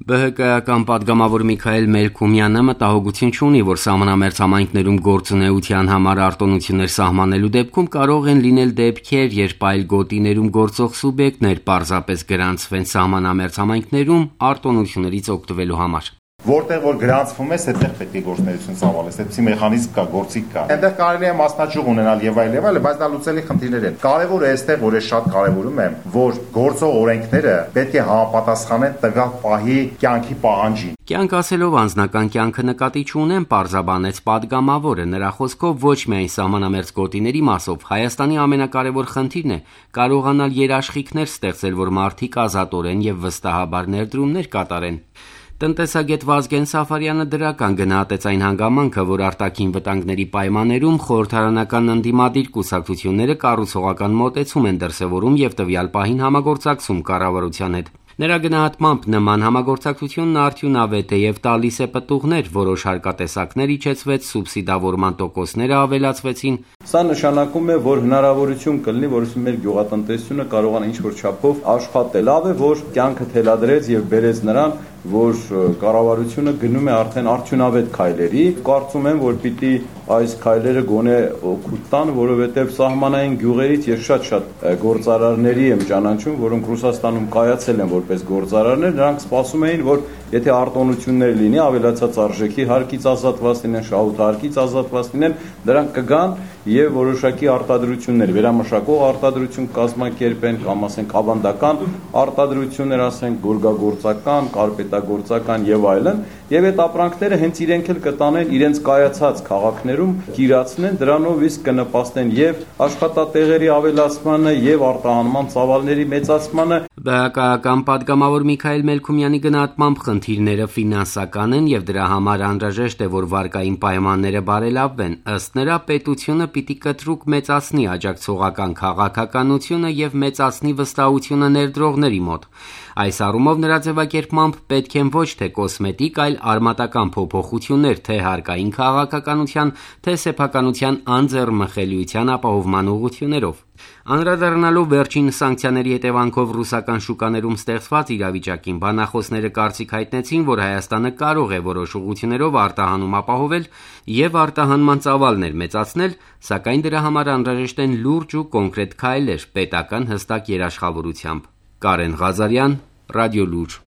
ԲՀԿ-ական պատգամավոր Միքայել Մելքումյանը մտահոգություն չունի, որ սահմանամերձ համայնքներում գործունեության համար արտոնություններ սահմանելու դեպքում կարող են լինել դեպքեր, երբ այլ գոտիներում գործող սուբյեկտներ պարզապես գրանցվեն սահմանամերձ համայնքներում արտոնություններից օգտվելու համար։ Որտեղ որ գրանցվում ես, այդտեղ պետք է գործունեություն ծավալես, այդպիսի մեխանիզմ կա, գործիք կա։ Այնտեղ կարելի է մասնաճյուղ ունենալ եւ այլ, բայց դա լուծելի խնդիրներ են։ Կարևորը այստեղ, որ ես շատ կարևորում եմ, որ գործող օրենքները պետք է համապատասխանեն տվյալ պահի կյանքի պահանջին։ Կյանք ասելով անձնական կյանքը նկատի չունեն, պարզաբանեց պատգամավորը։ Նրա խոսքով ոչ միայն սահմանամերձ գոտիների մասով Հայաստանի ամենակարևոր խնդիրն է կարողանալ երաշխիքներ ստեղծել, որ մարդիկ ազատորեն եւ վստահաբար ներդրումներ կատարեն։ Տնտեսագետ Վազգեն Սաֆարյանը դրական գնահատեց այն հանգամանքը, որ արտաքին վտանգների պայմաններում խորհրդարանական ընդդիմադիր կուսակցությունները կառուցողական մոտեցում են դրսևորում եւ տվյալ պահին համագործակցում կառավարության հետ։ Նրա գնահատմամբ նման համագործակցությունն արդյունավետ է եւ տալիս է պտուղներ, որոշ հարկատեսակներ իջեցվեց, սուբսիդավորման տոկոսները ավելացվեցին։ Սա նշանակում է, որ հնարավորություն կլինի, որովհետեւ մեր գյուղատնտեսությունը կարողանա ինչ-որ չափով աշխատել։ Լավ է, որ կյանքը թելադրեց եւ բերեց նրան, որ կառավարությունը գնում է արդեն արդյունավետ քայլերի։ Կարծում եմ, որ պիտի այս քայլերը գոնե օգուտ տան, որովհետև սահմանային գյուղերից ես շատ գործարարների եմ ճանաչում, որոնք Ռուսաստանում կայացել են որպես գործարարներ, նրանք սպասում էին, որ եթե արտոնություններ լինի, ավելացած արժեքի հարկից ազատված լինեն, շահութարկից ազատված լինեն, դրանք կգան եւ որոշակի արտադրություններ, վերամշակող արտադրություն կազմակերպեն, կամ ասենք ավանդական արտադրություններ, ասենք գորգագործական, կարպետագործական եւ այլն, եւ այդ ապրանքները հենց իրենք էլ կտանեն իրենց կայացած քաղաքներում, կիրացնեն, դրանով իսկ կնպաստեն եւ աշխատատեղերի ավելացմանը եւ արտահանման ծավալների մեծացմանը։ ԲՀԿ-ական պատգամավոր Միքայել Մելքումյանի գնահատմամբ խնդիրները ֆինանսական են եւ դրա համար անհրաժեշտ է, որ վարկային պայմանները բարելավվեն։ Ըստ նրա, պետությունը պիտի կտրուկ մեծացնի աջակցողական քաղաքականությունը եւ մեծացնի վստահությունը ներդրողների մոտ։ Այս առումով նրա ձևակերպմամբ պետք են ոչ թե կոսմետիկ, այլ արմատական փոփոխություններ թե հարկային քաղաքականության, թե սեփականության անձեռմխելիության ապահովման ուղղություններով։ Անդրադառնալով վերջին սանկցիաների հետևանքով ռուսական շուկաներում ստեղծված իրավիճակին, բանախոսները կարծիք հայտնեցին, որ Հայաստանը կարող է որոշ ուղղություններով արտահանում ապահովել եւ արտահանման ծավալներ մեծացնել, սակայն դրա համար անհրաժեշտ են լուրջ ու կոնկրետ քայլեր պետական հստակ երաշխավորությամբ։ Կարեն Ղազարյան, Ռադիոլուր։